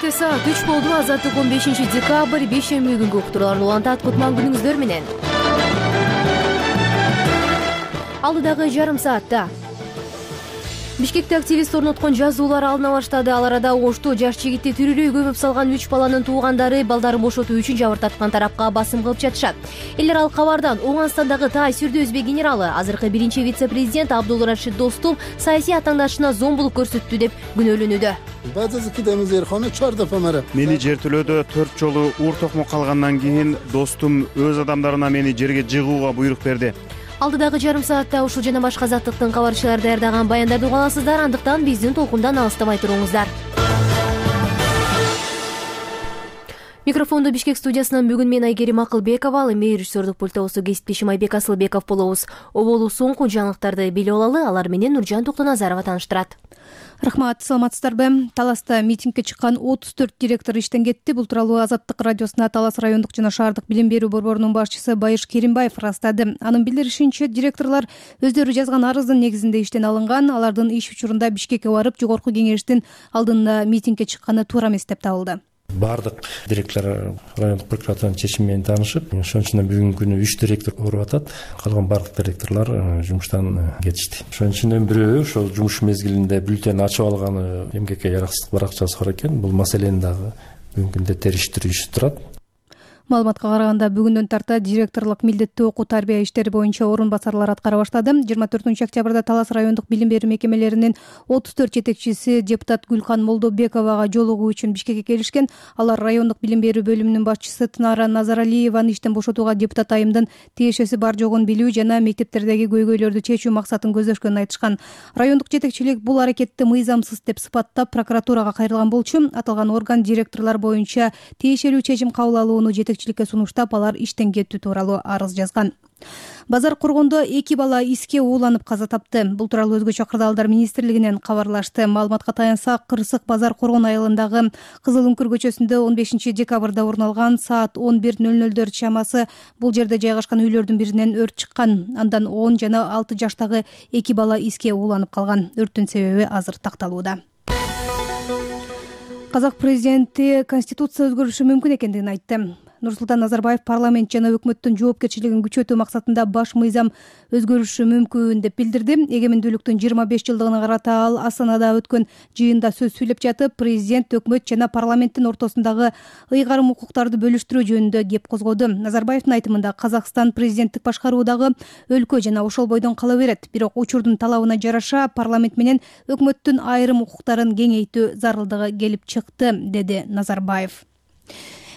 Кечке саат 3 болду. Азаттык 15 декабрь бейшемби күнгү уктуруулар улантат. Кутман күнүңүздөр менен. Алдыдагы жарым саатта Бишкекте активист орноткон жазуулар алына баштады. Ал арада Ошту жаш жигитти тирүүрөй көмүп салган 3 баланын туугандары балдарын бошотуу үчүн жабыртаткан тарапка басым кылып жатышат. Элдер ал кабардан Оңгонстандагы Тай Сүрдө өзбек генералы, азыркы биринчи вице-президент Абдулрашид Достум саясий атаңдашына зомбулук көрсөттү деп күнөөлөнүүдө. Мени жертөлөөдө 4 жолу уур токмо калгандан кийин Достум өз адамдарына мени жерге жыгууга буйрук берди. Алдыдагы жарым саатта ушул жана башка азаттыктын кабарчылары даярдаган баяндарды уга аласыздар. Андыктан биздин толкундан алыстабай туруңуздар. Микрофонду Бишкек студиясынан бүгүн мен Айгерим Акылбекова, ал эми режиссердук пультубузду кесиптешим Айбек Асылбеков болобуз. Оболу соңку жаңылыктарды билип алалы, алар менен Нуржан Токтоназарова тааныштырат. Рахмат, саламатсыздарбы? Таласта митингге чыккан 34 директор иштен кетти. Бул тууралуу Азаттык радиосуна Талас райондук жана шаардык билим берүү борборунун башчысы Байыш Керимбаев ырастады. Анын билдиришинче, директорлор өздөрү жазган арыздын негизинде иштен алынган. Алардын иш учурунда Бишкекке барып, жогорку кеңештин алдында митингге чыкканы туура эмес деп табылды. Бардык директорлор райондук прокуратуранын чечими менен таанышып, ошон үчүн бүгүнкү күнү 3 директор ооруп атат. Калган бардык директорлор жумуштан кетишти. Ошон үчүн бирөө ошол жумуш мезгилинде бюллетень ачып алганы эмгекке жараксыздык баракчасы бар экен. Бул маселени дагы бүгүнкү күндө териштирүү иши турат. Маалыматка караганда бүгүндөн тарта директорлук милдеттүү окуу тарбия иштери боюнча орун басарлар аткара баштады. 24-октябрда Талас райондук билим берүү мекемелеринин 34 жетекчиси депутат Гүлкан Молдобековага жолугуу үчүн Бишкекке келишкен. Алар райондук билим берүү бөлүмүнүн башчысы Тынара Назаралиеваны иштен бошотууга депутат айымдын тиешеси бар жогун билүү жана мектептердеги көйгөйлөрдү чечүү максатын көздөшкөнүн айтышкан. Райондук жетекчилик бул аракетти мыйзамсыз деп сыпаттап прокуратурага кайрылган болчу. Аталган орган директорлор боюнча тиешелүү чечим кабыл алууну жетекчиликке сунуштап, алар иштен кетүү тууралуу арыз жазган. Базар Коргондо 2 бала иске ууланып каза тапты. Бул тууралуу өзгөчө кырдаалдар министрлигинен кабарлашты. Маалыматка таянсак, Кырсык Базар Коргон айылындагы Кызыл Үңкүр көчөсүндө 15 декабрда орун алган саат 11:00 чамасы бул жерде жайгашкан үйлөрдүн биринен өрт чыккан. Андан 10 жана 6 жаштагы 2 бала иске ууланып калган. Өрттүн себеби азыр такталууда. Казак президенти Конституция өзгөрүшү мүмкүн экендигин айтты. Нурсултан Назарбаев парламент жана өкмөттүн жоопкерчилигин күчөтүү максатында баш мыйзам өзгөрүшү мүмкүн деп билдирди. Эгемендүүлүктүн 25 жылдыгына карата ал Астанада өткөн жыйында сөз сүйлөп жатып, президент, өкмөт жана парламенттин ортосундагы ыйгарым укуктарды бөлүштүрүү жөнүндө кеп козгоду. Назарбаевдин айтымында Казакстан президенттик башкаруудагы өлкө жана ошол бойдон кала берет. Бирок учурдун талабына жараша парламент менен өкмөттүн айрым укуктарын кеңейтүү зарылдыгы келип чыкты, деди Назарбаев.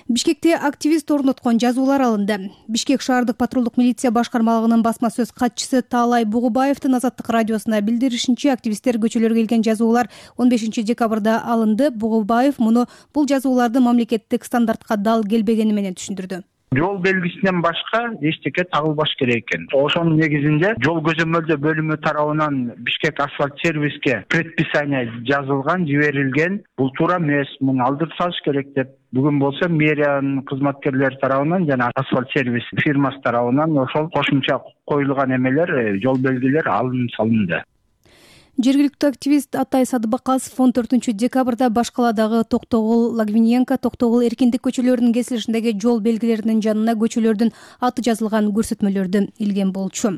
Бишкекте активист орноткон жазуулар алынды. Бишкек шаардык патрулдук милиция башкармалыгынын басма сөз катчысы Таалай Бугубаевдин Азаттык радиосуна билдиришинче, активисттер көчөлөргө келген жазуулар 15 декабрда алынды. Бугубаев муну бул жазуулардын мамлекеттик стандартка дал келбегени менен түшүндүрдү. Жол белгисинен башка эчтеке тагылбаш керек экен. Ошонун негизинде жол көзөмөлдөө бөлүмү тарабынан Бишкек асфальт сервиске предписание жазылган, жиберилген. Бул туура эмес, муну алдырып салыш керек деп. Бүгүн болсо мэриянын кызматкерлери тарабынан жана асфальт сервис фирмасы тарабынан ошол кошумча коюлган эмелер, жол белгилер алынып салынды. Жергиликтүү активист Атай Садыбакасов 14 декабрда баш каладагы Токтогул, Лагвиненко, Токтогул, Эркиндик көчөлөрүнүн кесилишиндеги жол белгилеринин жанына көчөлөрдүн аты жазылган көрсөтмөлөрдү илген болчу.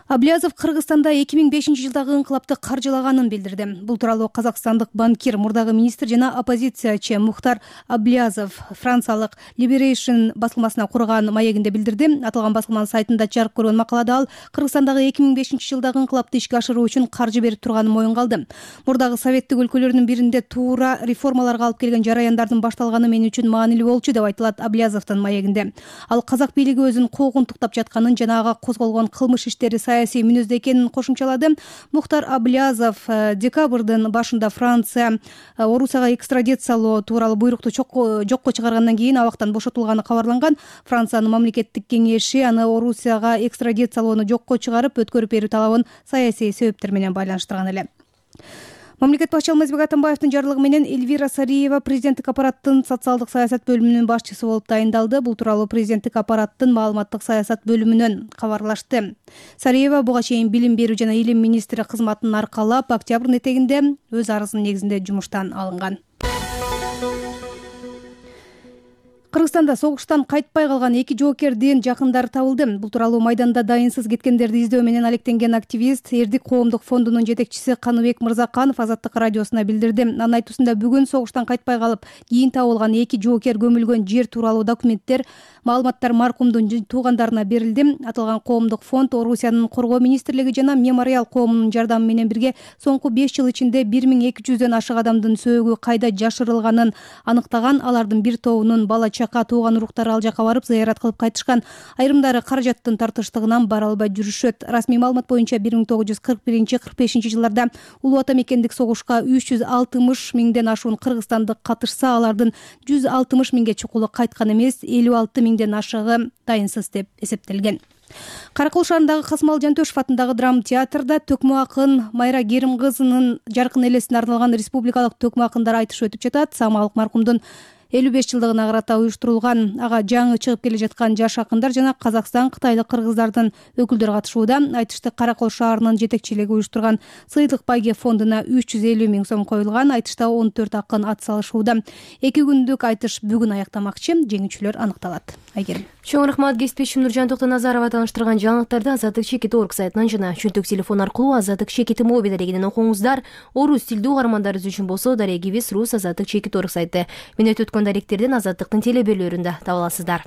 Аблязов Кыргызстанда 2005 жылдагы инкылапты каржылаганын билдирди. Бул тууралуу казакстандык банкир, мурдагы министр жана оппозициячы Мухтар Аблязов франциялык Liberation басылмасына курган маегинде билдирди. Аталган басылманын сайтында чарып көргөн макалада ал Кыргызстандагы 2005 жылдагы инкылапты ишке ашыруу үчүн каржы берип турганын моюнга алды. Мурдагы советтик өлкөлөрдүн биринде туура реформаларга алып келген жараяндардын башталганы мен үчүн маанилүү болчу деп айтылат Аблязовдун маегинде. Ал казак бийлиги өзүн куугунтуктап жатканын жана ага козголгон кылмыш иштери саясий мүнөздө экенин кошумчалады. Мухтар Аблязов декабрдын башында Франция Орусияга экстрадициялоо тууралуу буйрукту жокко чыгаргандан кийин абактан бошотулганы кабарланган. Франциянын мамлекеттик кеңеши аны Орусияга экстрадициялоону жокко чыгарып, өткөрүп берүү талабын саясий себептер менен байланыштырган эле. Мамлекет башчысы Алмазбек Атамбаевдин жарлыгы менен Эльвира Сариева президенттик аппараттын социалдык саясат бөлүмүнүн башчысы болуп тайындалды. Бул тууралуу президенттик аппараттын маалыматтык саясат бөлүмүнөн кабарлашты. Сариева буга чейин билим берүү жана илим министри кызматын аркалап, октябрдын этегинде өз арызынын негизинде жумуштан алынган. Кыргызстанда согуштан кайтпай калган 2 жоокердин жакындары табылды. Бул тууралуу майданда дайынсыз кеткендерди издөө менен алектенген активист Эрдик коомдук фондунун жетекчиси Каныбек Мырзаканов Азаттык радиосуна билдирди. Анын айтуусунда бүгүн согуштан кайтпай калып кийин табылган 2 жоокер көмүлгөн жер тууралуу документтер, маалыматтар маркумдун туугандарына берилди. Аталган коомдук фонд Орусиянын коргоо министрлиги жана Мемориал коомунун жардамы менен бирге соңку 5 жыл ичинде 1200дөн ашык адамдын сөөгү кайда жашырылганын аныктаган. Алардын бир тобунун бала чака тууган уруктары ал жака барып зыярат кылып кайтышкан. Айрымдары каражаттын тартыштыгынан бара албай жүрүшөт. Расмий маалымат боюнча 1941-45 жылдарда улуу ата мекендик согушка 360 миңден ашуун кыргызстандык катышса, алардын 160 миңге чукулу кайткан эмес, 56 миңден ашыгы дайынсыз деп эсептелген. Каракол шаарындагы Касымал Жантөшев атындагы драма театрда төкмө акын Майра Керим кызынын жаркын элесине арналган республикалык төкмө акындар айтышы өтүп жатат. Самалык маркумдун 55 жылдыгына карата уюштурулган, ага жаңы чыгып келе жаткан жаш акындар жана Казакстан, Кытайлык кыргыздардын өкүлдөрү катышууда. Айтышты Каракол шаарынын жетекчилиги уюштурган Сыйдык Байге фондуна 350 миң сом коюлган. Айтышта 14 акын ат салышууда. 2 күндүк айтыш бүгүн аяктамакчы. Жеңүүчүлөр аныкталат. Айгерим. Чоң рахмат. Кесипдешим Нуржан Токтоназарова таныштырган жаңылыктарды Азаттык чекит орг сайтынан жана чөнтөк телефон аркылуу Азаттык чекит моби дарегинен окуңуздар. Орус тилдүү угармандарыбыз үчүн болсо дарегибиз Рус Азаттык чекит орг сайты. Мен өткөн даректердин Азаттыктын телеберлөрүндө таба аласыздар.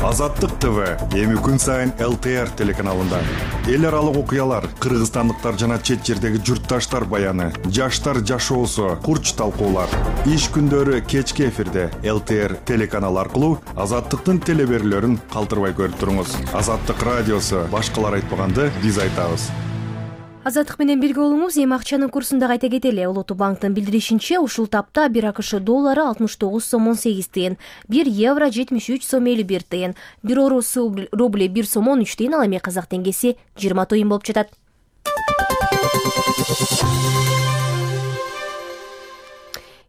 Азаттык ТВ эми күн сайын ЛТР телеканалында эл аралык окуялар, кыргызстандыктар жана чет жердеги журтташтар баяны, жаштар жашоосу, курч талкуулар. Иш күндөрү кечки эфирде ЛТР телеканалы аркылуу Азаттыктын телеберлөрүн калтырбай көрүп туруңуз. Азаттык радиосу башкалар айтпаганды биз айтабыз. Азаттык менен бирге болуңуз. Эми акчанын курсун дагы айта кетели. Улуттук банктын билдиришинче, ушул тапта 1 АКШ доллары 69 сом 18 тыйын, 1 евро 73 сом 51 тыйын, 1 орус рубли 1 сом 13 тыйын, ал эми казак теңгеси 20 тыйын болуп жатат.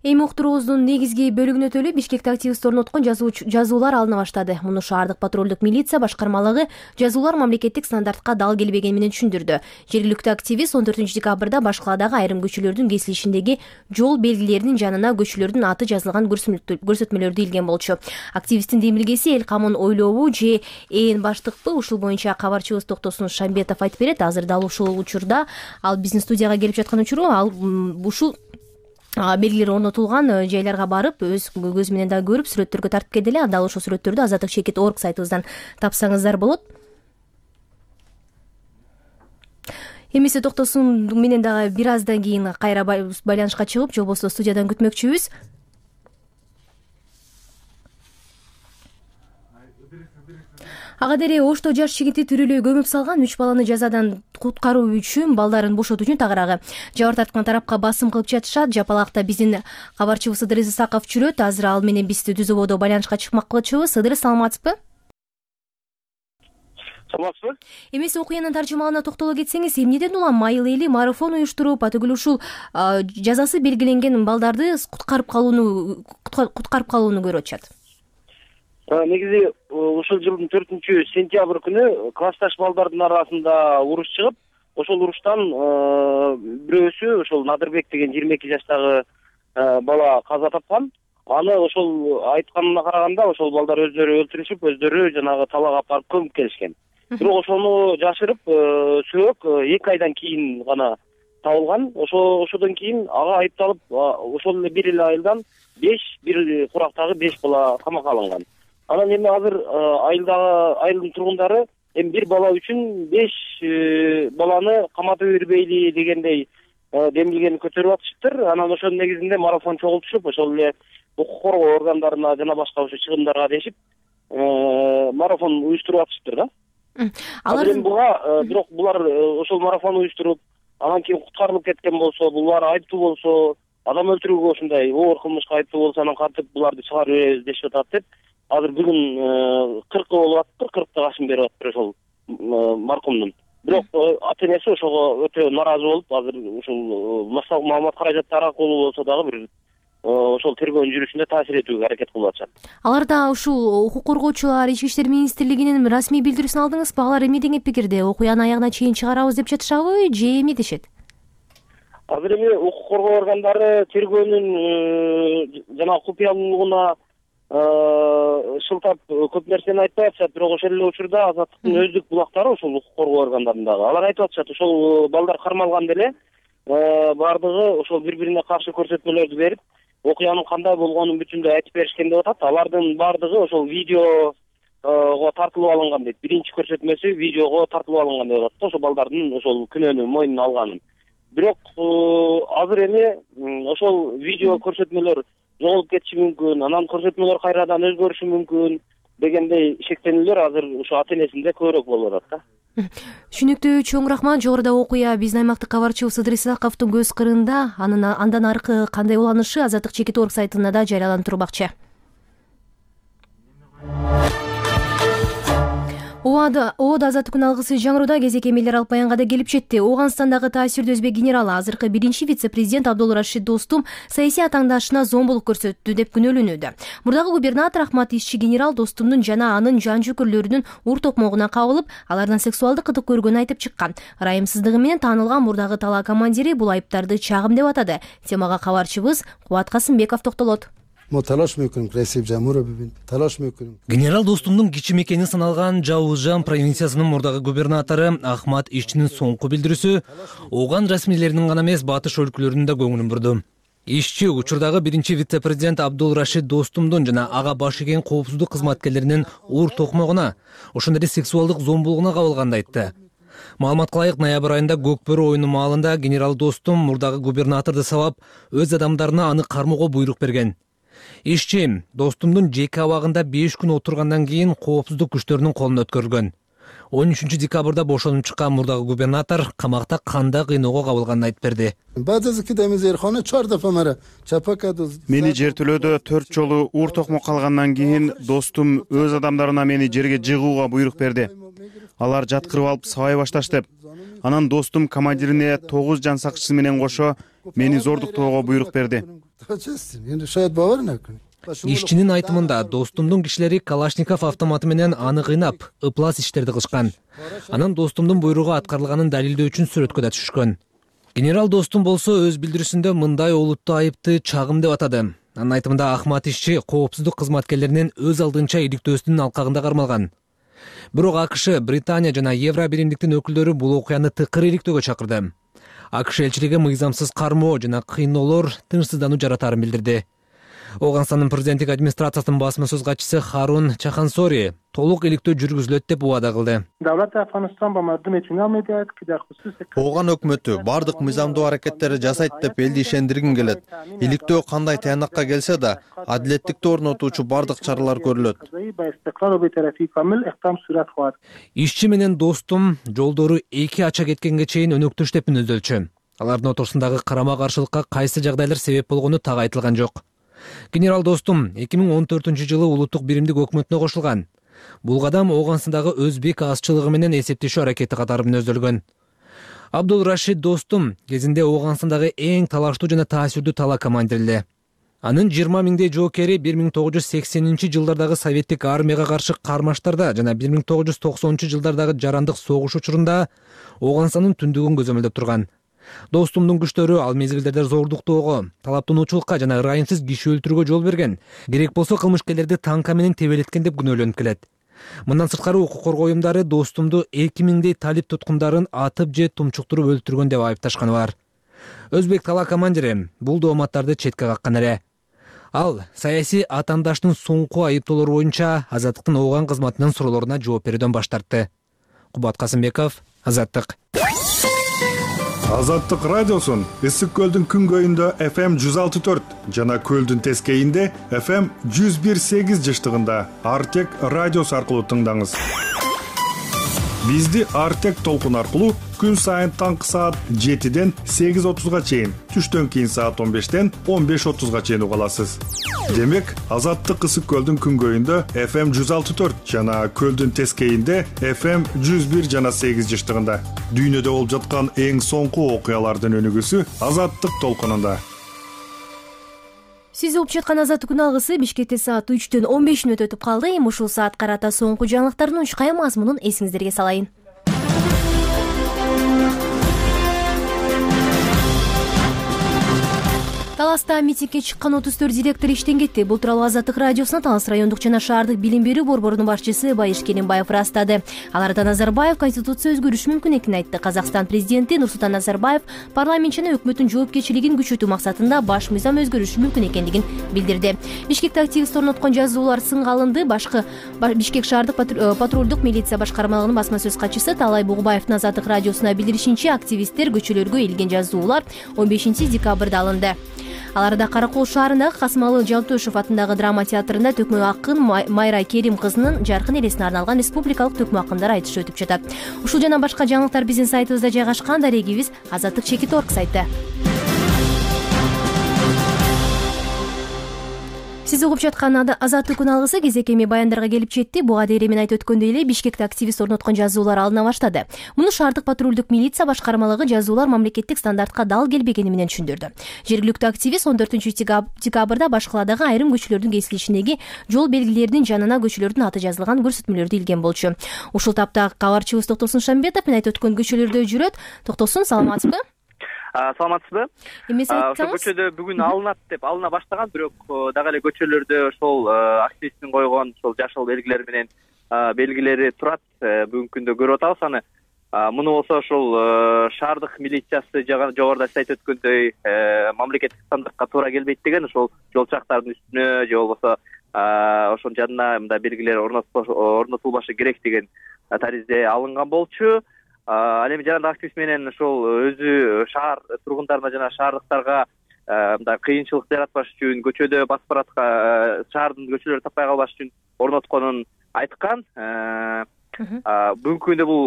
Эми уктуруубуздун негизги бөлүгүнө өтөлү. Бишкекте активист орноткон жазуулар алына баштады. Муну шаардык патрулдук милиция башкармалыгы жазуулар мамлекеттик стандартка дал келбегени менен түшүндүрдү. Жергиликтүү активист 14 декабрда баш каладагы айрым көчөлөрдүн кесилишиндеги жол белгилеринин жанына көчөлөрдүн аты жазылган көрсөтмөлөрдү илген болчу. Активисттин демилгеси эл камын ойлообу же ээн баштыкпы? Ушул боюнча кабарчыбыз Токтосун Шамбетов айтып берет. Азыр дал ушул учурда ал биздин студияга келип жаткан учуру, ал ушул белгилер орнотулган жайларга барып, өз көзү менен да көрүп, сүрөттөргө тартып келди эле. Дал ошол сүрөттөрдү Азаттык чекит орг сайтыбыздан тапсаңыздар болот. Эмесе Токтосун менен дагы бир аздан кийин кайра байланышка чыгып, же болбосо студиядан күтмөкчүбүз. Ага дере Ошто жаш жигити түрүлөй көмүп салган 3 баланы жазадан куткаруу үчүн, балдарын бошотуу үчүн тагыраагы жабыр тарткан тарапка басым кылып жатышат. Жапалакта биздин кабарчыбыз Ыдырыс Исаков жүрөт. Азыр ал менен бизди түзүп ободо байланышка чыкмакчыбыз. Ыдырыс, саламатсызбы? Саламатсызбы? Эмесе окуянын таржымалына токтоло кетсеңиз, эмнеден улам майыл эли марафон уюштуруп, атүгүл ушул жазасы белгиленген балдарды куткарып калууну көрүп атышат? Негизи ушул жылдын 4-сентябрь күнү классташ балдардын арасында уруш чыгып, ошол уруштан бирөөсү ошол Надырбек деген 22 жаштагы бала каза тапкан. Аны ошол айтканына караганда ошол балдар өздөрү өлтүрүшүп, өздөрү жанагы талаага алып барып көмүп келишкен. Бирок ошону жашырып, сөөк 2 айдан кийин гана табылган. Ошодон кийин ага айыпталып, ошол эле бир эле айылдан 5, бир курактагы 5 бала камакка алынган. Анан эми азыр айылдын тургундары эми бир бала үчүн 5 баланы каматып бербейли дегендей демилгени көтөрүп атышыптыр. Анан ошонун негизинде марафон чогултушуп, ошол эле укук коргоо органдарына жана башка ошо чыгымдарга дешип марафон уюштуруп атышыптыр да. Алар буга бирок булар ошол марафон уюштуруп, анан кийин куткарылып кеткен болсо, булар айыптуу болсо, адам өлтүрүүгө ушундай оор кылмышка айыптуу болсо, анан кантип буларды чыгарып беребиз дешип атат деп. Азыр бүгүн 40 болуп атыптыр, 40 ашым берип атыптыр ошол маркумдун. Бирок ата энеси ошого өтө нааразы болуп, азыр ушул маалымат каражаттары аркылуу болсо дагы бир ошол тергөөнүн жүрүшүнө таасир этүүгө аракет кылып атышат. Аларда ушул укук коргоочулар, Ички иштер министрлигинин расмий билдирүүсүн алдыңызбы? Алар эмне деген пикирде? Окуяны аягына чейин чыгарабыз деп жатышабы же эмне дешет? Азыр эми укук коргоо органдары тергөөнүн жана купуялуулугуна шылтап көп нерсени айтпай атышат, бирок ошол эле учурда Азаттыктын өздүк булактары ошол укук коргоо органдарындагы алар айтып атышат, ошол балдар кармалганда эле баардыгы ошол бири-бирине каршы көрсөтмөлөрдү берип, окуянын кандай болгонун бүтүндөй айтып беришкен деп атат. Алардын баардыгы ошол видеого тартылып алынган дейт. Биринчи көрсөтмөсү видеого тартылып алынган деп атат, ошол балдардын ошол күнөөнү мойнуна алганын. Бирок азыр эми ошол видео көрсөтмөлөр жоголуп кетиши мүмкүн, анан көрсөтмөлөр кайрадан өзгөрүшү мүмкүн дегендей шектенүүлөр азыр ошо ата-энесинде көбүрөөк болуп атат да. Түшүнүктүү, чоң рахмат. Жогоруда окуя биздин аймактык кабарчыбыз Сыдыр Исаковдун көз кырында, андан аркы кандай уланышы Азаттык чекит орг сайтында да жарыяланып турмакчы. ООД Азаттыктын алгысы жаңыруда кезек эмелер алып баянга да келип жетти. Ооганстандагы таасирдүү өзбек генералы азыркы биринчи вице-президент Абдулрашид Достум саясий атаңдашына зомбулук көрсөттү деп күнөөлөнүүдө. Мурдагы губернатор Ахмат Ишчи генерал Достумдун жана анын жан жөкөрлөрүнүн ур токмогуна кабылып, алардан сексуалдык кытык көргөнүн айтып чыккан. Ырайымсыздыгы менен таанылган мурдагы талаа командири бул айыптарды чагым деп атады. Темага кабарчыбыз Кубат Касымбеков токтолот. Генерал Достумдун кичи мекени саналган Жауызжан провинциясынын мурдагы губернатору Ахмат Ишчинин соңку билдирүүсү Ооган расмийлеринин гана эмес, батыш өлкөлөрүнүн да көңүлүн бурду. Ишчи учурдагы биринчи вице-президент Абдулрашид Достумдун жана ага баш ийген коопсуздук кызматкерлеринин ур токмогуна, ошондой эле сексуалдык зомбулугуна кабылганды айтты. Маалыматка ылайык, ноябрь айында Көк бөрү оюну маалында генерал Достум мурдагы губернаторду сабап, өз адамдарына аны кармоого буйрук берген. Ишчи Достумдун жеке абагында 5 күн отургандан кийин коопсуздук күчтөрүнүн колуна өткөрүлгөн. 13 декабрда бошонуп чыккан мурдагы губернатор камакта кандай кыйноого кабылганын айтып берди. Мени жертөлөөдө 4 жолу ур токмок калгандан кийин Достум өз адамдарына мени жерге жыгууга буйрук берди. Алар жаткырып алып сабай башташты. Анан Достум командирине 9 жан сакчысы менен кошо мени зордуктоого буйрук берди. Ишчинин айтымында Достумдун кишилери Калашников автоматы менен аны кыйнап, ыплас иштерди кылышкан. Анан Достумдун буйругу аткарылганын далилдөө үчүн сүрөткө да түшкөн. Генерал Достум болсо өз билдирүүсүндө мындай олуттуу айыпты чагым деп атады. Анын айтымында Ахмат Ишчи коопсуздук кызматкерлеринин өз алдынча иликтөөсүнүн алкагында кармалган. Бирок АКШ, Британия жана Евро биримдиктин өкүлдөрү бул окуяны тыкыр иликтөөгө чакырды. АКШ элчилиги мыйзамсыз кармоо жана кыйноолор тынчсыздануу жаратаарын билдирди. Ооганстандын президенттик администрациясынын басма-сөз катчысы Харун Чахансори толук иликтөө жүргүзүлөт деп убада кылды. Ооган өкмөтү бардык мыйзамдуу аракеттерди жасайт деп элди ишендиргим келет. Иликтөө кандай таянакка келсе да, адилеттикти орнотуучу бардык чаралар көрүлөт. Ишчи менен Достум жолдору 2 ача кеткенге чейин өнөктөш деп мүнөздөлчү. Алардын ортосундагы карама-каршылыкка кайсы жагдайлар себеп болгону так айтылган жок. Генерал Достум 2014-жылы улуттук биримдик өкмөтүнө кошулган. Бул кадам Ооганстандагы өзбек азчылыгы менен эсептешүү аракети катары мүнөздөлгөн. Абдулрашид Достум кезинде Ооганстандагы эң талаштуу жана таасирдүү талаа командири. Анын 20 миңдей жоокери 1980-жылдардагы советтик армияга каршы кармаштарда жана 1990-жылдардагы жарандык согуш учурунда Ооганстандын түндүгүн көзөмөлдөп турган. Достумдун күчтөрү ал мезгилдерде зордуктоого, талаптануучулукка жана ырайымсыз киши өлтүрүүгө жол берген. Керек болсо кылмышкерлерди танка менен тебелеткен деп күнөөлөнүп келет. Мындан сырткары укук коргоо уюмдары Достумду 2000дей талип туткундарын атып же тумчуктуруп өлтүргөн деп айыпташканы бар. Өзбек талаа командири бул дооматтарды четке каккан эле. Ал саясий атаандаштын соңку айыптоолору боюнча Азаттыктын Ооган кызматынын суроолоруна жооп берүүдөн баш тартты. Кубат Касымбеков, Азаттык. Азаттык радиосун Ысык көлдүн күнгөйүндө FM 106.4 жана көлдүн тескейинде FM 101.8 жыштыгында Артек радиосу аркылуу тыңдаңыз. Бизди Артек толкун аркылуу күн сайын таңкы саат 7ден 8:30га чейин, түштөн кийин саат 15ден 15:30га чейин уга аласыз. Демек, Азаттык Ысык көлдүн күнгөйүндө FM 106.4 жана көлдүн тескейинде FM 101 жана 8 жыштыгында. Дүйнөдө болуп жаткан эң соңку окуялардын өнүгүүсү Азаттык толкунунда. Сиз угуп жаткан Азаттыктын алгысы Бишкекте саат 3дөн 15 мүнөт өтүп калды. Эми ушул саат карата соңку жаңылыктардын учкай мазмунун эсиңиздерге салайын. Таласта митингге чыккан 34 директор иштен кетти. Бул тууралуу Азаттык радиосуна Талас райондук жана шаардык билим берүү борборунун башчысы Байыш Керимбаев ырастады. Аларда Назарбаев конституция өзгөрүшү мүмкүн экенин айтты. Казакстан президенти Нурсултан Назарбаев парламент жана өкмөттүн жоопкерчилигин күчөтүү максатында баш мыйзам өзгөрүшү мүмкүн экендигин билдирди. Бишкекте активист орноткон жазуулар сынга алынды. Бишкек шаардык патрулдук милиция башкармалыгынын басма сөз катчысы Талай Бугубаевдин Азаттык радиосуна билдиришинче, активисттер көчөлөргө илген жазуулар 15 декабрда алынды. Аларда Каракол шаарындагы Касымалы Жалтөшев атындагы драма театрында төкмө акын Майра Керим кызынын жаркын элесине арналган республикалык төкмө акындар айтышы өтүп жатат. Ушул жана башка жаңылыктар биздин сайтыбызда жайгашкан. Дарегибиз azattik.org сайты. Сиз угуп жаткан Азаттык күн алгысы кезек эми баяндарга келип жетти. Буга дейин мен айтып өткөндөй эле Бишкекте активист орноткон жазуулар алына баштады. Муну шаардык патрулдук милиция башкармалыгы жазуулар мамлекеттик стандартка дал келбегени менен түшүндүрдү. Жергиликтүү активист 14-декабрда баш каладагы айрым көчөлөрдүн кесилишиндеги жол белгилеринин жанына көчөлөрдүн аты жазылган көрсөтмөлөрдү илген болчу. Ушул тапта кабарчыбыз Токтосун Шамбетов мен айтып өткөн көчөлөрдө жүрөт. Токтосун, саламатсызбы? Саламатсызбы? Эмес айтсаңыз? Көчөдө бүгүн алына баштаган, бирок дагы эле көчөлөрдө ошол активисттин койгон ошол жашыл белгилер менен белгилери турат. Бүгүнкү күндө көрүп атабыз аны. Муну болсо ошол шаардык милициясы жогоруда сиз айтып өткөндөй мамлекеттик стандартка туура келбейт деген, ошол жол чактардын үстүнө же болбосо ошонун жанына мындай белгилер орнотулбашы керек деген таризде алынган болчу. Ал эми жанагы активист менен ошол өзү шаар тургундарына жана шаардыктарга мындай кыйынчылык жаратпаш үчүн, көчөдө басып бараткан шаардын көчөлөрүн таппай калбаш үчүн орнотконун айткан. Бүгүнкү күндө бул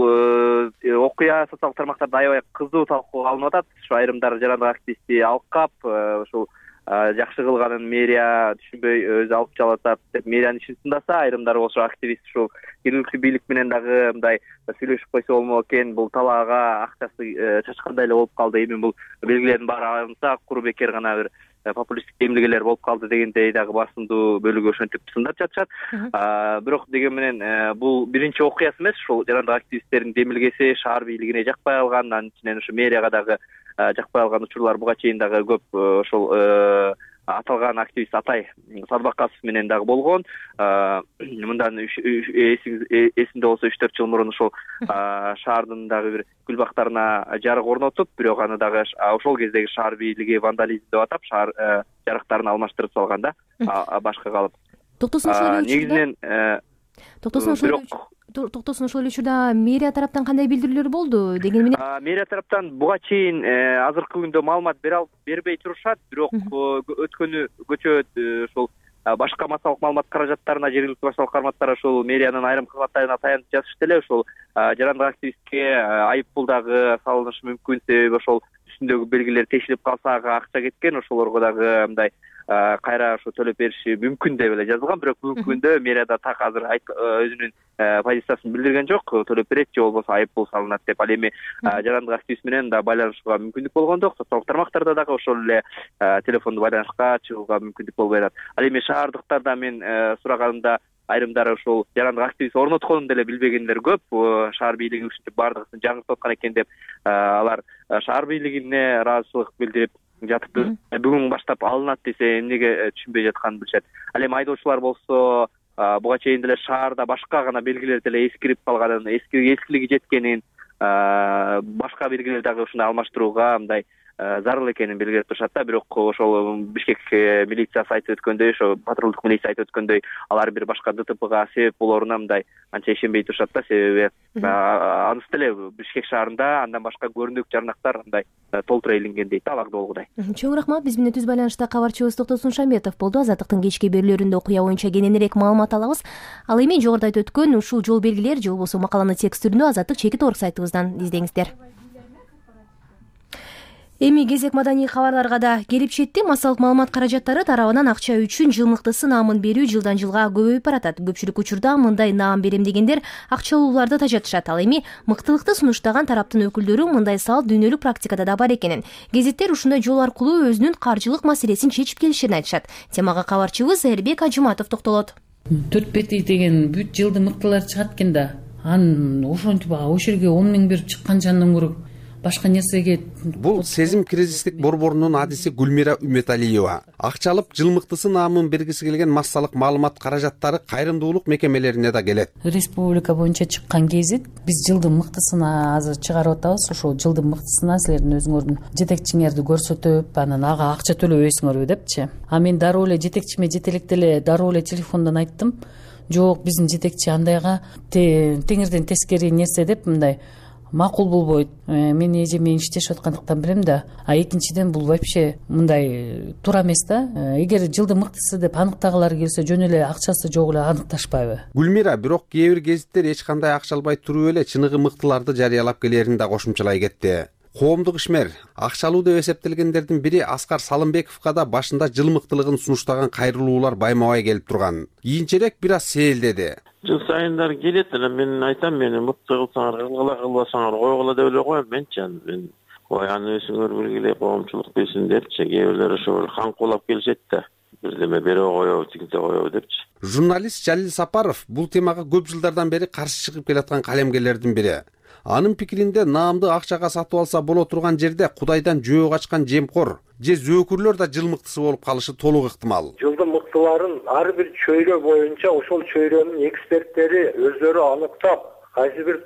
окуя социалдык тармактарда аябай кызуу талкууга алынып атат. Ушу айрымдар жанагы активистти алкап, ошол жакшы кылганын мэрия түшүнбөй өзү алып чалып атат деп мэриянын ишин тындаса, айрымдар болсо активист ушул жергиликтүү бийлик менен дагы мындай сүйлөшүп койсо болмок экен, бул талаага акчасы чачкандай эле болуп калды, эми бул белгилердин баары алынса куру бекер гана бир популисттик эмгелер болуп калды дегендей дагы басымдуу бөлүгү ошентип сындап жатышат. Бирок деген менен бул биринчи окуясы эмес, ушул жанагы активисттердин демилгеси шаар бийлигине жакпай калган, анын ичинен ушу мэрияга дагы жакпай калган учурлар буга чейин дагы көп ошол аталган активист Атай Садбакасов менен дагы болгон. Мындан эсимде болсо 3-4 жыл мурун ошол шаардын дагы бир гүл бактарына жарык орнотуп, бирок аны дагы ошол кездеги шаар бийлиги вандализм деп атап, шаар жарыктарын алмаштырып салган да, башка калып. Негизинен Токтосун ошол эле учурда мэрия тараптан кандай билдирүүлөр болду деген менен? Мэрия тараптан буга чейин азыркы күндө маалымат бербей турушат, бирок өткөнү көчө ошол башка массалык маалымат каражаттарына, жергиликтүү башкалык карматтар ошол мэриянын айрым кызматтарына таянып жазышты эле. Ошол жанагы активистке айыппул дагы салынышы мүмкүн, себеби ошол үстүндөгү белгилер тешилип калса ага акча кеткен, ошолорго дагы мындай кайра ошо төлөп бериши мүмкүн деп эле жазылган. Бирок бүгүнкү күндө мэрияда так азыр өзүнүн позициясын билдирген жок, төлөп берет же болбосо айыппул салынат деп. Ал эми жанагы активист менен да байланышууга мүмкүндүк болгондо, социалдык тармактарда дагы ошол эле телефондуу байланышка чыгууга мүмкүндүк болбой атат. Ал эми шаардыктарда мен сураганымда айрымдары ошол жанагы активист орнотконун деле билбегендер көп. Шаар бийлиги ушинтип бардыгын жаңыртып аткан экен деп алар шаар бийлигине ыраазычылык билдирип жатып, бүгүн баштап алынат десе эмнеге түшүнбөй жатканын билишет. Ал эми айдоочулар болсо буга чейин деле шаарда башка гана белгилер деле эскирип калганын, эскилиги жеткенин, башка белгилер дагы ушундай алмаштырууга мындай зарыл экенин белгилеп турушат да. Бирок ошол Бишкек милициясы айтып өткөндөй, ошо патрулдук милиция айтып өткөндөй, алар бир башка ДТПга себеп болоруна мындай анча ишенбей турушат да, себеби анысы деле Бишкек шаарында андан башка көрүнүк жарнактар мындай толтура илинген дейт аларды болгудай. Чоң рахмат. Биз менен түз байланышта кабарчыбыз Токтосун Шамбетов болду. Азаттыктын кечки берүүлөрүндө окуя боюнча кененирээк маалымат алабыз. Ал эми жогоруда айтып өткөн ушул жол белгилер же болбосо макаланы текст түрүндө azattik.org сайтыбыздан издеңиздер. Эми кезек маданий кабарларга да келип жетти. Массалык маалымат каражаттары тарабынан акча үчүн жылмыктысы наамын берүү жылдан жылга көбөйүп баратат. Көпчүлүк учурда мындай наам берем дегендер акчалууларды тажатышат. Ал эми мыктылыкты сунуштаган тараптын өкүлдөрү мындай салт дүйнөлүк практикада да бар экенин, гезиттер ушундай жол аркылуу өзүнүн каржылык маселесин чечип келишерин айтышат. Темага кабарчыбыз Эрбек Ажыматов токтолот. 4-5 деген бүт жылды мыктылар чыгат экен да, анын ошентип ошол жерге 10 миң берип чыккан жандан көрө башка нерсеге. Бул сезим кризистик борборунун адиси Гүлмира Үмөталиева. Акча алып жылмыктысы наамын бергиси келген массалык маалымат каражаттары кайрымдуулук мекемелерине да келет. Республика боюнча чыккан гезит биз жылдын мыктысына азыр чыгарып атабыз. Ошол жылдын мыктысына силердин өзүңөрдүн жетекчиңерди көрсөтүп, анан ага акча төлөбөйсүңөрбү депчи. А мен дароо эле жетекчиме жете электе эле дароо эле телефондон айттым. Жок, биздин жетекчи андайга теңирден тескери нерсе деп мындай макул болбойт. Мен эжемен иштешип аткандыктан билем да. А экинчиден бул вообще мындай туура эмес да. Эгер жылдын мыктысы деп аныктагылар келсе, жөн эле акчасы жок эле аныкташпайбы? Гүлмира бирок кээ бир гезиттер эч кандай акча албай туруп эле чыныгы мыктыларды жарыялап келерин да кошумчалай кетти. Коомдук ишмер акча алуу деп эсептелгендердин бири Аскар Салымбековго да башында жыл мыктылыгын сунуштаган кайрылуулар байма-бай келип турган. Кийинчерээк бир аз сейилдеди. Жыл сайындар келет эле, мен айтам, мени мыкты кылсаңар кылгыла, кылбасаңар койгула деп эле коем менчи. Мен аны өзүңөр белгилей, коомчулук билсин депчи. Кээ бирлер ошол каңкуулап келишет да. Бирдеме бере коебу, тигинте коебу депчи. Журналист Жалил Сапаров бул темага көп жылдардан бери каршы чыгып келаткан калемгерлердин бири. Анын пикиринде наамды акчага сатып алса боло турган жерде Кудайдан жөө качкан жемкор же зөөкүрлөр да жыл мыктысы болуп калышы толук ыктымал. Жылдын мыктыларын ар бир чөйрө боюнча ошол чөйрөнүн эксперттери өздөрү аныктап, кайсы бир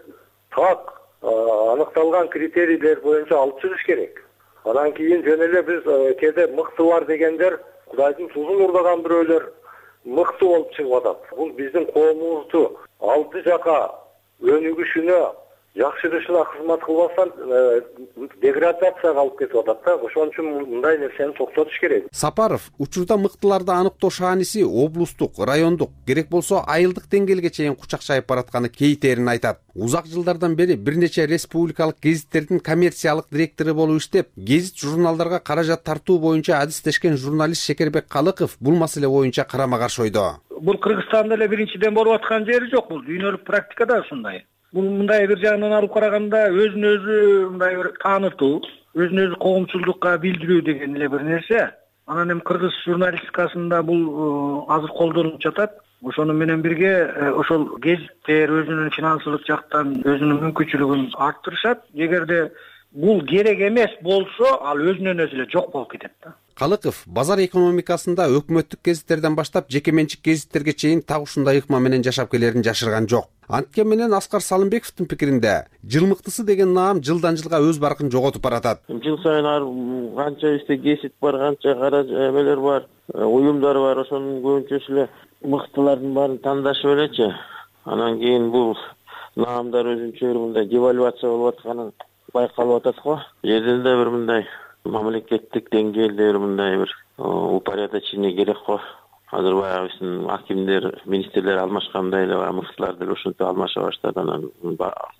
так аныкталган критерийлер боюнча алып чыгыш керек. Анан кийин жөн эле биз кээде мыктылар дегендер Кудайдын тузун урдаган бирөөлөр мыкты болуп чыгып атат. Бул биздин коомубузду алды жака өнүгүшүнө жакшырышына кызмат кылбастан деградацияга алып кетип атат да. Ошон үчүн мындай нерсени токтотуш керек. Сапаров учурда мыктыларды аныктоо шааниси облустук, райондук, керек болсо айылдык деңгээлге чейин кучакчайып баратканы кейтерин айтат. Узак жылдардан бери бир нече республикалык гезиттердин коммерциялык директору болуп иштеп, гезит журналдарга каражат тартуу боюнча адистешкен журналист Шекербек Калыков бул маселе боюнча карама-каршы ойдо. Бул Кыргызстанда эле биринчиден болуп аткан жери жок, бул дүйнөлүк практикада ушундай. Бул мындай бир жагынан алып караганда өзүн өзү мындай бир таанытуу, өзүн өзү коомчулдукка билдирүү деген эле бир нерсе. Анан эми кыргыз журналистикасында бул азыр колдонулуп жатат. Ошону менен бирге ошол гезиттер өзүнүн финансылык жактан өзүнүн мүмкүнчүлүгүн арттырышат. Эгерде бул керек эмес болсо, ал өзүнөн өзү эле жок болуп кетет да. Калыков базар экономикасында өкмөттүк гезиттерден баштап жеке менчик гезиттерге чейин так ушундай ыкма менен жашап келерин жашырган жок. Анткени менен Аскар Салымбековдун пикиринде жыл мыктысы деген наам жылдан жылга өз баркын жоготуп баратат. Жыл сайын канча бизде гезит бар, канча кара эмелер бар, уюмдар бар, ошонун көбүнчөсү эле мыктылардын баарын тандашып элечи. Анан кийин бул наамдар өзүнчө бир мындай девальвация болуп атканы байкалып атат го. Жерден да бир мындай мамлекеттик деңгээлде бир мындай бир упорядочение керек го. Азыр баягы биздин акимдер, министрлер алмашкандай эле мыктылар деле ушинтип алмаша баштады. Анан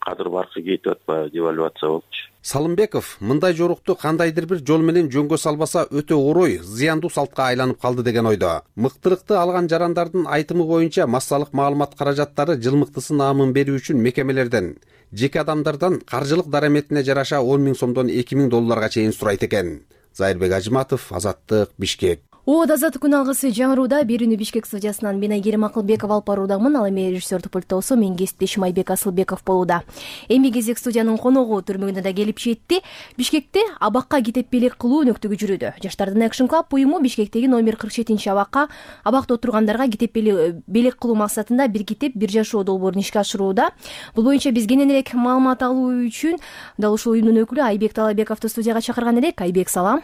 кадыр баркы кетип атпайбы, девальвация болупчу. Салымбеков мындай жорукту кандайдыр бир жол менен жөнгө салбаса өтө орой, зыяндуу салтка айланып калды деген ойдо. Мыктылыкты алган жарандардын айтымы боюнча массалык маалымат каражаттары жыл мыктысы наамын берүү үчүн мекемелерден, жеке адамдардан каржылык дараметине жараша 10 000 сомдон 2 000 долларга чейин сурайт экен. Зайырбек Ажыматов, Азаттык, Бишкек. Азаттык күн алгысы жаңырууда берүүнү Бишкек студиясынан мен Айгерим Акылбеков алып баруудамын. Ал эми режиссердик пультта болсо мен кесиптешим Айбек Асылбеков болууда. Эми кезек студиянын коногу түрмөгүнө да келип жетти. Бишкекте абакка китеп белек кылуу өнөктүгү жүрүүдө. Жаштардын Action Club уюму Бишкектеги номер 47 абакка абакта отургандарга китеп белек кылуу максатында бир китеп бир жашоо долбоорун ишке ашырууда. Бул боюнча биз кененирээк маалымат алуу үчүн дал ушул уюмдун өкүлү Айбек Талабековду студияга чакырган элек. Айбек, салам.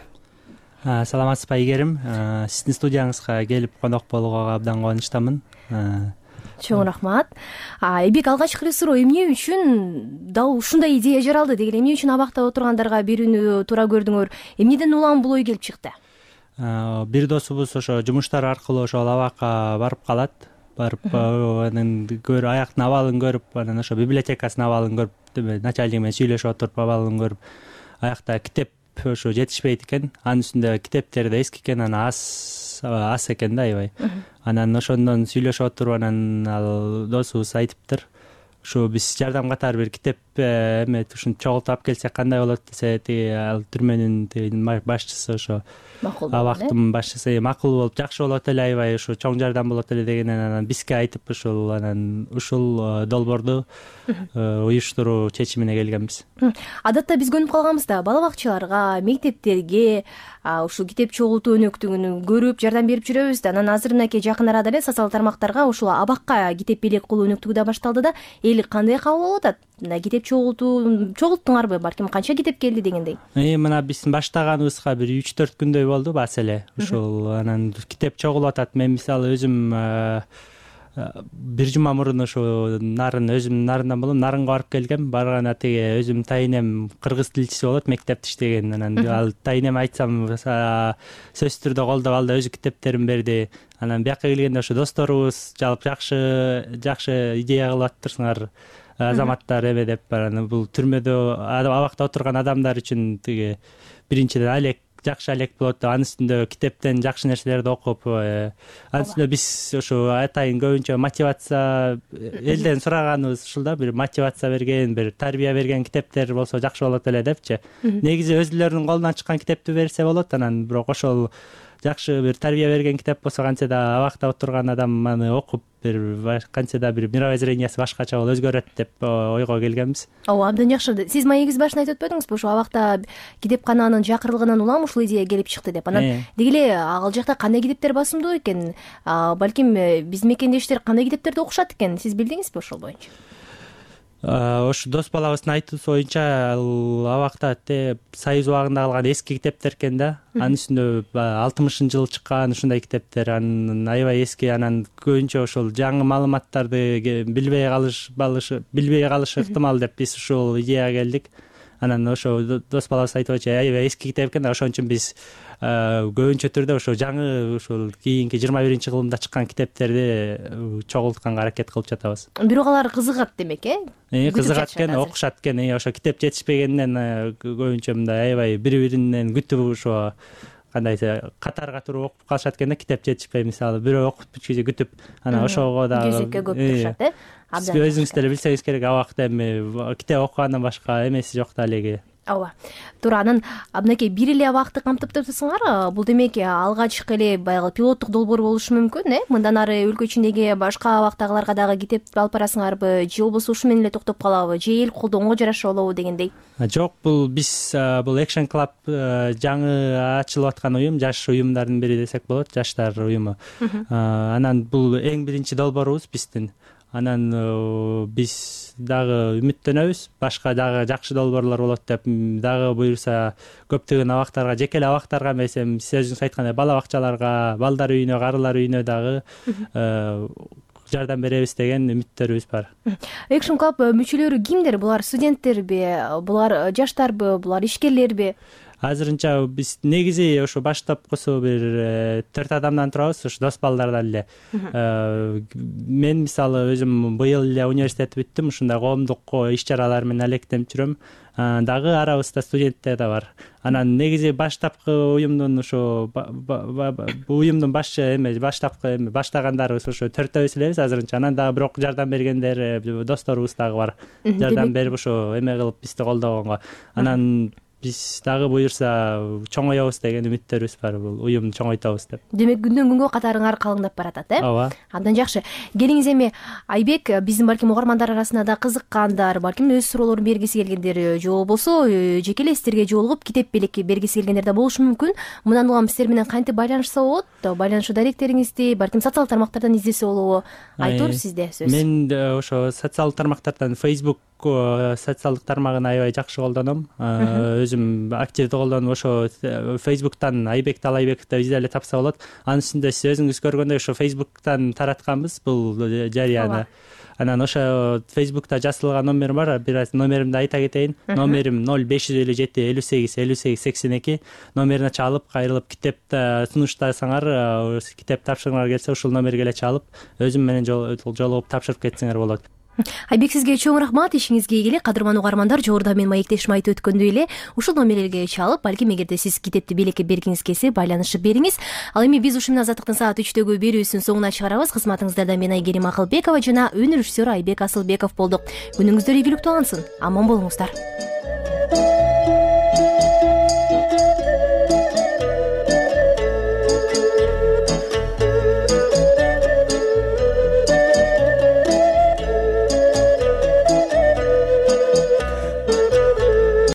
Саламатсызбы Айгерим? Сиздин студияңызга келип конок болууга абдан кубанычтамын. Чоң рахмат. Айбек, алгачкы суроо, эмне үчүн дал ушундай идея жаралды деген, эмне үчүн абакта отургандарга берүүнү туура көрдүңөр? Эмнеден улам бул ой келип чыкты? Бир досубуз ошо жумуштар аркылуу ошол абакка барып калат. Барып анан аяктын абалын көрүп, анан ошо библиотекасынын абалын көрүп, начальник менен сүйлөшүп отуруп абалын көрүп, аякта китеп ошо жетишпейт экен. Анын үстүндө китептер да эски экен, анан аз экен да аябай. Анан ошондон сүйлөшүп отуруп, анан ал досубуз айтыптыр, ушу биз жардам катары бир китеп эме ушинтип чогултуп алып келсек кандай болот десе, тиги ал түрмөнүн тиги башчысы ошо абактын башчысы макул болуп жакшы болот эле, аябай ушу чоң жардам болот эле дегенен анан бизге айтып ушул долбоорду уюштуруу чечимине келгенбиз. Адатта биз көнүп калганбыз да бала бакчаларга, мектептерге ушул китеп чогултуу өнөктүгүн көрүп жардам берип жүрөбүз да. Анан азыр мынакей жакын арада эле социалдык тармактарга ушул абакка китеп белек кылуу өнөктүгү да башталды да. Эл кандай кабыл алып атат? Мына китеп чогулттуңарбы, балким канча китеп келди дегендей? Мына биздин баштаганыбызга бир 3-4 күндөй болду бас эле. Ушул анан китеп чогулуп атат. Мен мисалы өзүм бир жума мурун ушу өзүмдүн нарындан болом, нарынга барып келгем. Барганда тиги өзүм тайынем кыргыз тилчиси болот, мектепте иштеген. Анан ал тайынем айтсам сөзсүз түрдө колдоп алды, өзү китептерин берди. Анан бияка келгенде ошо досторубуз жалпы жакшы идея кылып аттырсыңар азаматтар эме деп. Анан бул түрмөдө абакта отурган адамдар үчүн тиги биринчиден жакшы алек болот деп, анын үстүндө китептен жакшы нерселерди окуп, анын үстүндө биз ошо атайын көбүнчө мотивация элден сураганыбыз ушул да, бир мотивация берген, бир тарбия берген китептер болсо жакшы болот эле депчи. Негизи өзүлөрүнүн колунан чыккан китепти берсе болот, анан бирок ошол жакшы бир тарбия берген китеп болсо кантсе да абакта отурган адам аны окуп кантсе да бир мировоззрениясы башкача болуп өзгөрөт деп ойго келгенбиз. Ооба, абдан жакшы. Сиз маегиз башында айтып өтпөдүңүзбү, ошо абакта китепкананын жакырылыгынан улам ушул идея келип чыкты деп. Анан деги эле ал жакта кандай китептер басымдуу экен? Балким биздин мекендештер кандай китептерди окушат экен? Сиз билдиңизби ошол боюнча? Ошо дос балабыздын айтуусу боюнча ал абакта Союз убагында калган эски китептер экен да. Анын үстүндө 60-жылы чыккан ушундай китептер, анын аябай эски. Анан көбүнчө ошол жаңы маалыматтарды билбей калышы ыктымал деп биз ушул идеяга келдик. Анан ошо дос балабыз айтып атчы, аябай эски китеп экен да, ошон үчүн биз көбүнчө түрдө ошо жаңы ушул кийинки 21-кылымда чыккан китептерди чогултканга аракет кылып жатабыз. Бирок алар кызыгат демек, кызыгат экен, окушат экен. Ошо китеп жетишпегенден көбүнчө мындай аябай бири-биринен күтүп ошо кандай катарга туруп окуп калышат экен да, китеп жетишпей мисалы бирөө окуп бүткүчө күтүп, анан ошого дагы кезекке көп турушат, Сиз өзүңүз деле билсеңиз керек, абакта эми китеп окугандан башка эмеси жок да элеги. Ооба. Туура, анан мынакей бир эле абакты камтып турсуңар, бул демек алгачкы эле баягы пилоттук долбоор болушу мүмкүн, Мындан ары өлкө ичиндеги башка абактагыларга дагы китеп алып барасыңарбы, же болбосо ушу менен эле токтоп калабы, же эл колдоонго жараша болобу дегендей? Жок, бул Action Club жаңы ачылып аткан уюм, жаш уюмдардын бири десек болот, жаштар уюму. Анан бул эң биринчи долбоорубуз биздин. Анан биз дагы үмүттөнөбүз, башка дагы жакшы долбоорлор болот деп, дагы буюрса көптөгөн абактарга, жеке эле абактарга эмес, сиз өзүңүз айткандай бала бакчаларга, балдар үйүнө, карылар үйүнө дагы жардам беребиз деген үмүттөрүбүз бар. Action Club мүчөлөрү кимдер? Булар студенттерби, булар жаштарбы, булар ишкерлерби? Азырынча биз негизи ошо баштапкысы бир 4 адамдан турабыз, ошо дос балдардан эле. Мен мисалы өзүм быйыл эле университет бүттүм, ушундай коомдук иш-чаралар менен алектенип жүрөм. Дагы арабызда студенттер да бар. Анан негизи баштапкы уюмдун ошо уюмдун баштагандарыбыз ошо 4-төбүз элебиз азырынча. Анан дагы бирок жардам бергендер досторубуз дагы бар. Жардам берип ошо эме кылып бизди колдогонго. Анан биз дагы буюрса чоңоебуз деген үмүттөрүбүз бар, бул уюмду чоңойтобуз деп. Демек күндөн күнгө катарыңар калыңдап баратат, Ооба. Абдан жакшы. Келиңиз эми Айбек, биздин балким угармандар арасында да кызыккандар, балким өз суроолорун бергиси келгендер, же болбосо жеке эле сиздерге жолугуп китеп белек бергиси келгендер да болушу мүмкүн. Мындан улам сиздер менен кантип байланышса болот? Байланышуу даректериңизди балким социалдык тармактардан издесе болобу? Айтор, сизде сөз. Мен ошо социалдык тармактардан Facebook социалдык тармагын аябай жакшы колдоном. Өзүм активдүү колдонуп, ошо Facebooktан Айбек Талайбеков деп изделе тапса болот. Анын үстүндө сиз өзүңүз көргөндөй ошо Facebooktан таратканбыз бул жарыяны. Анан ошо Facebookта жазылган номерим бар, бир аз номеримди айта кетейин. Номерим 0557 58 58 82. Номерине чалып, кайрылып китеп сунуштасаңар, китеп тапшыргыңар келсе ушул номерге эле чалып, өзүм менен жолугуп тапшырып кетсеңер болот. Айбек, сизге чоң рахмат, ишиңизге ийгилик. Кадырман угармандар, жогоруда мен маектешим айтып өткөндөй эле ушул номерлерге чалып, балким эгерде сиз китепти белекке бергиңиз келсе байланышып бериңиз. Ал эми биз ушул менен Азаттыктын саат 3-төгү берүүсүн соңуна чыгарабыз. Кызматыңыздарда мен Айгерим Акылбекова жана өнөр режиссеру Айбек Асылбеков болдук. Күнүңүздөр ийгиликтүү алынсын, аман болуңуздар.